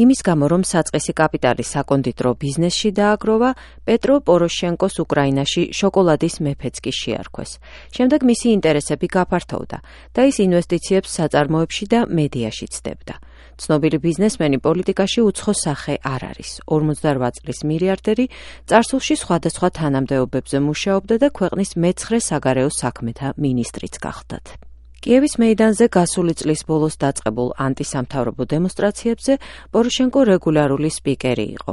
იმის გამო, რომ საწყისი კაპიტალი საკონდიტრო ბიზნესში დააგროვა, პეტრო პოროშენკოს უკრაინაში შოკოლადის მეფეც კი შეარქვეს. შემდეგ მისი ინტერესები გაფართოვდა და ის ინვესტიციებს საწარმოებში და მედიაში ცდებდა. ცნობილი ბიზნესმენი პოლიტიკაში უცხო სახე არ არის. 48 წლის მილიარდერი, წარსულში სხვადასხვა თანამდებობებზე მუშაობდა და ქვეყნის მე-9 საგარეო საქმეთა მინისტრიც გახდათ. კიევის მეიდანზე გასული წლის ბოლოს დაწყებულ ანტისამთავრობო დემონსტრაციებზე პოროშენკო რეგულარული სპიკერი იყო.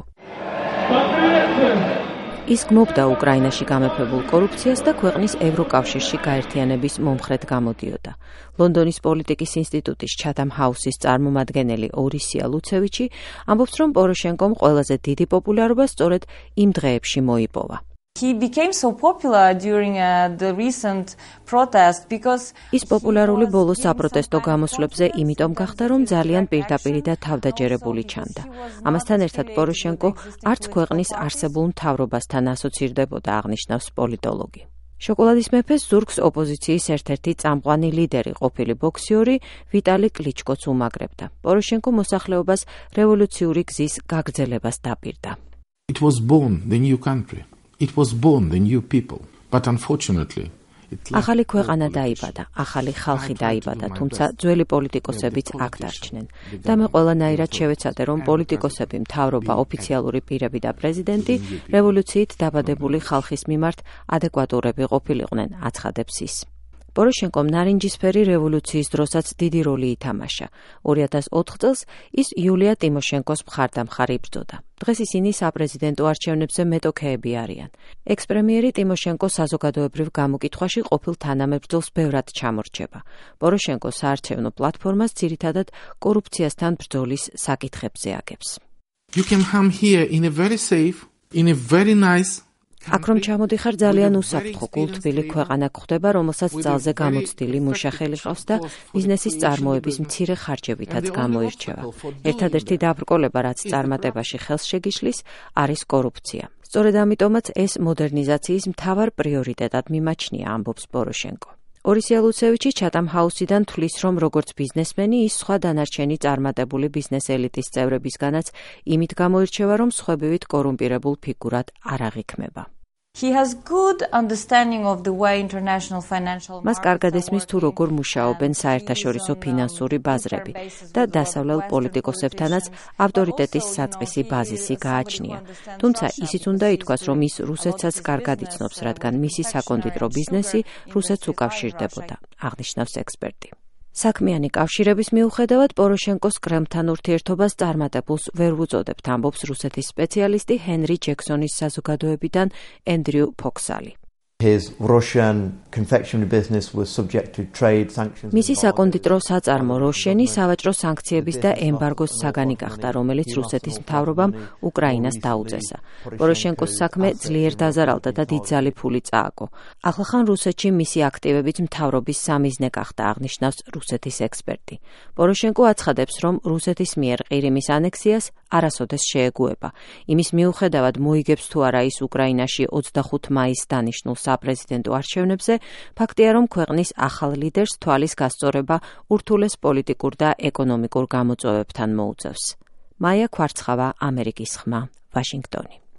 ის გმობდა უკრაინაში გამეფებულ კორუფციას და ქვეყნის ევროკავშირში გაერთიანების მომხრედ გამოდიოდა. ლონდონის პოლიტიკის ინსტიტუტის ჩათამ ჰაუსის წარმომადგენელი ორისია ლუცევიჩი ამბობს, რომ პოროშენკომ ყველაზე დიდი პოპულარობა სწორედ იმ დღეებში მოიპოვა. He became so popular during the recent protest because ის პოპულარული ბოლო საპროტესტო გამოსვლებზე იმიტომ გახდა, რომ ძალიან პირდაპირი და თავდაჯერებული ჩანდა. ამასთან ერთად პოროშენკო არც ქვეყნის არსებულ მთავრობასთან ასოცირდებოდა, აღნიშნავს პოლიტოლოგი. შოკოლადის მეფეს ზურგს ოპოზიციის ერთ-ერთი წამყვანი ლიდერი ყოფილი ბოქსიორი ვიტალი კლიჩკოც უმაგრებდა. პოროშენკო მოსახლეობას რევოლუციური გზის გაგრძელებას დაპირდა. It was born the new country. It was born the new people, but unfortunately ახალი ქვეყანა დაიბადა, ახალი ხალხი დაიბადა, თუმცა ძველი პოლიტიკოსებიც აქ დარჩნენ. და მე ყველანაირად შევეცადე, რომ პოლიტიკოსები, მთავრობა, ოფიციალური პირები და პრეზიდენტი რევოლუციით დაბადებული ხალხის მიმართ ადეკვატურები ყოფილიყვნენ, აცხადებს ის. პოროშენკომ ნარინჯისფერი რევოლუციის დროსაც დიდი როლი ითამაშა. 2004 წელს ის იულია ტიმოშენკოს მხარდამხარი იბრძოდა. დღეს ისინი საპრეზიდენტო არჩევნებზე მეტოქეები არიან. ექს-პრემიერი ტიმოშენკო საზოგადოებრივ გამოკითხვაში ყოფილ თანამებრძოლს ბევრად ჩამორჩება. პოროშენკო საარჩევნო პლატფორმას ძირითადად კორუფციასთან ბრძოლის საკითხებზე აგებს. You can come here in a very safe, in a very nice აქ რომ ჩამოდიხარ ძალიან უსაფრთხო კულტბილი ქვეყანა გვხდება, რომელსაც ძალზე გამოცდილი მუშახელი ყავს და ბიზნესის წარმოების მცირე ხარჯებითაც გამოირჩევა. ერთადერთი დაბრკოლება, რაც წარმატებაში ხელს შეგიშლის, არის კორუფცია. სწორედ ამიტომაც ეს მოდერნიზაციის მთავარ პრიორიტეტად მიმაჩნია, ამბობს პოროშენკო. ორისია ლუცევიჩი ჩათამ ჰაუსიდან თვლის, რომ როგორც ბიზნესმენი ის სხვა დანარჩენი წარმატებული ბიზნეს ელიტის წევრებისგანაც იმით გამოირჩევა, რომ სხვებივით კორუმპირებულ ფიგურად არ აღიქმება. He has good understanding of the way international financial მას კარგად ესმის თუ როგორ მუშაობენ საერთაშორისო ფინანსური ბაზრები და დასავლელ პოლიტიკოსებთანაც ავტორიტეტის საწყისი ბაზისი გააჩნია. თუმცა ისიც უნდა ითქვას, რომ ის რუსეთსაც კარგად იცნობს, რადგან მისი საკონდიტრო ბიზნესი რუსეთს უკავშირდებოდა, აღნიშნავს ექსპერტი. საქმიანი კავშირების მიუხედავად პოროშენკოს კრემლთან ურთიერთობას წარმატებულს ვერ ვუწოდებთ, ამბობს რუსეთის სპეციალისტი ჰენრი ჯექსონის საზოგადოებიდან ენდრიუ ფოქსალი. His Russian confectionery business was subject to trade sanctions. მისი საკონდიტრო საწარმო როშენი სავაჭრო სანქციების და ემბარგოს საგანი გახდა, რომელიც რუსეთის მთავრობამ უკრაინას დაუწესა. პოროშენკოს საქმე ძლიერ დაზარალდა და დიდძალი ფული წააგო. ახლახან რუსეთში მისი აქტივებით მთავრობის სამიზნე გახდა, აღნიშნავს რუსეთის ექსპერტი. პოროშენკო აცხადებს, რომ რუსეთის მიერ ყირიმის ანექსიას არასოდეს შეეგუება. იმის მიუხედავად მოიგებს თუ არა ის უკრაინაში 25 მაისს დანიშნულ საპრეზიდენტო არჩევნებზე, ფაქტია, რომ ქვეყნის ახალ ლიდერს თვალის გასწორება ურთულეს პოლიტიკურ და ეკონომიკურ გამოწვევებთან მოუწევს. მაია ქვარცხავა, ამერიკის ხმა, ვაშინგტონი.